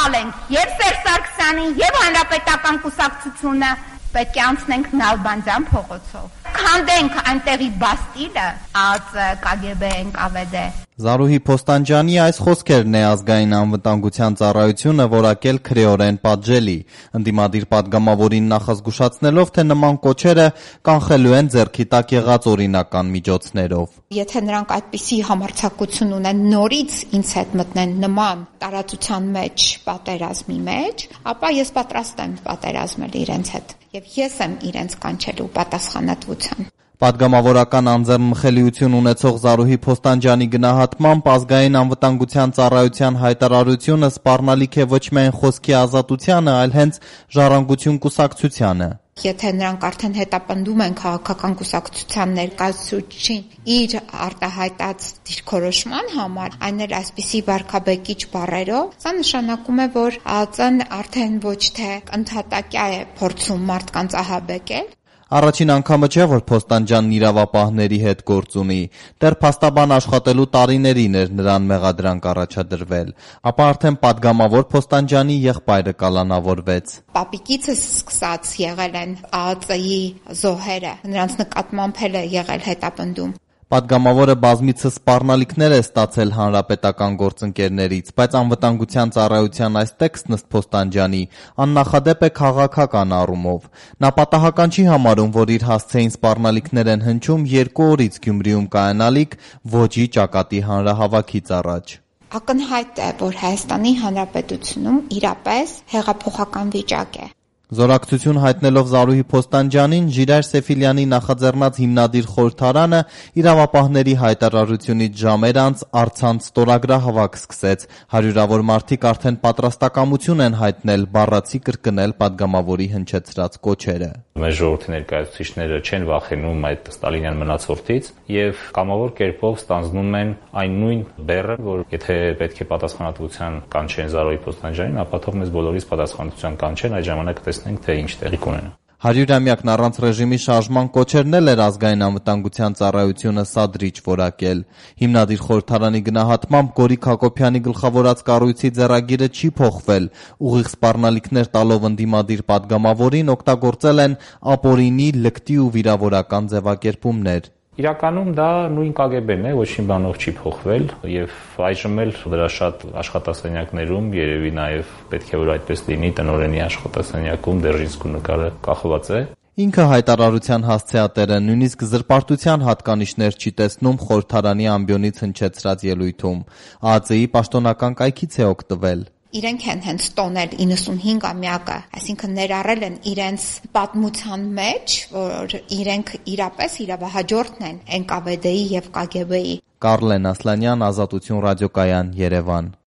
ապալենք եւ Սերժ Սարգսյանին եւ Հանրապետական կուսակցությունը, պետք է անցնենք Նալբանդյան փողոցով, քանդենք այնտեղի Բաստիլը, ԿԳԲ ՆԿՎԴ։ Զարուհի Փոստանջյանի այս խոսքերն է Ազգային անվտանգության ծառայությունը որակել քրեորեն պատժելի, ընդդիմադիր պատգամավորին նախազգուշացնելով, թե նման կոչերը կանխելու են ձեռքի տակ եղած օրինական միջոցներով։ Եթե նրանք այդպիսի համարձակություն ունեն նորից ինձ հետ մտնեն նման տարածության մեջ պատերազմի մեջ, ապա ես պատրաստ եմ պատերազմել իրենց հետ եւ ես եմ իրենց կանչելու պատասխանատվության։ Պատգամավորական անձեռնմխելիություն ունեցող Զարուհի Փոստանջյանի գնահատմամբ Ազգային անվտանգության ծառայության հայտարարությունը սպառնալիք է ոչ միայն խոսքի ազատությանը, այլ հենց ժառանգություն կուսակցությանը։ Եթե նրանք արդեն հետապնդում են քաղաքական կուսակցության ներկայացուցիչին իր արտահայտած դիրքորոշման համար, այն էլ այսպիսի վարքաբեկիչ բառերով, սա նշանակում է, որ ԱԱԾ-ն արդեն ոչ թե ընդհատակյա է փորձում մարդկանց ահաբեկել։ Առաջին անգամը չէ, որ Փոստանջյանն իրավապահների հետ գործ ունի, դեռ փաստաբան աշխատելու տարիներին էր նրան մեղադրանք առաջադրվել, ապա արդեն պատգամավոր Փոստանջյանի եղբայրը կալանավորվեց։ Պապիկիցս սկսած եղել են ԱԱԾ-ի զոհերը, նրանց նկատմամբ էլ է եղել հետապնդում։ Պատգամավորը բազմիցս սպառնալիքներ է ստացել հանրապետական գործընկերներից, բայց անվտանգության ծառայության այս տեքստն ըստ Փոստանջյանի աննախադեպ է քաղաքական առումով։ Նա պատահական չի համարում, որ իր հասցեին սպառնալիքներ են հնչում 2 օրից Գյումրիում կայանալիք ոճի ճակատի հանրահավաքից առաջ։ Ակնհայտ է, որ Հայաստանի Հանրապետությունում իրապես հեղափոխական վիճակ է։ Զորակցություն հայտնելով Զարուհի Փոստանջյանին, Ժիրայր Սեֆիլյանի նախաձեռնած հիմնադիր խորհրդարանը իրավապահների հայտարարությունից ժամեր անց առցանց ստորագրահավաք սկսեց։ Հարյուրավոր մարդիկ արդեն պատրաստակամություն են հայտնել բառացի կրկնել պատգամավորի հնչեցրած կոչերը։ Մեր ժողովրդի ներկայացուցիչները չեն վախենում այդ ստալինյան մնացորդից եւ կամավոր կերպով ստանձնում են այն նույն բեռը, որ եթե պետք է պատասխանատվության կանչեն Զարուհի Փոստանջյանին, ապա թող մեզ բոլորիս պատասխանատվության կանչեն, այդ ժամանակ տեսնենք, թե ինչ տեղի կունենա։ 100-ամյակն առանց ռեժիմի շարժման կոչերն էլ էր Ազգային անվտանգության ծառայությունը սադրիչ որակել։ Հիմնադիր խորհրդարանի գնահատմամբ Գորիկ Հակոբյանի գլխավորած կառույցի ձեռագիրը չի փոխվել, ուղիղ սպառնալիքներ տալով ընդդիմադիր պատգամավորին օգտագործել են ապօրինի, լկտի ու վիրավորական ձևակերպումներ։ Իրականում դա նույն ԿԳԲ-ն է, ոչ մի բանով չի փոխվել եւ այժմ էլ դրա շատ աշխատասենյակներում երևի նաեւ պետք է որ այդպես լինի տնօրենի աշխատասենյակում Դերժինսկու նկարը կախված է։ Ինքը հայտարարության հասցեատերը նույնիսկ զրպարտության հատկանիշներ չի տեսնում խորհրդարանի ամբիոնից հնչեցրած ելույթում։ ԱԱԾ-ի պաշտոնական կայքից է օգտվել։ Իրենք են հենց տոնել 95-ամյակը, այսինքն ներառել են իրենց պատմության մեջ, որ իրենք իրապես իրավահաջորդն են ՆԿՎԴ-ի եւ ԿԳԲ-ի։ Կարլեն Ասլանյան, Ազատություն ռադիոկայան, Երևան։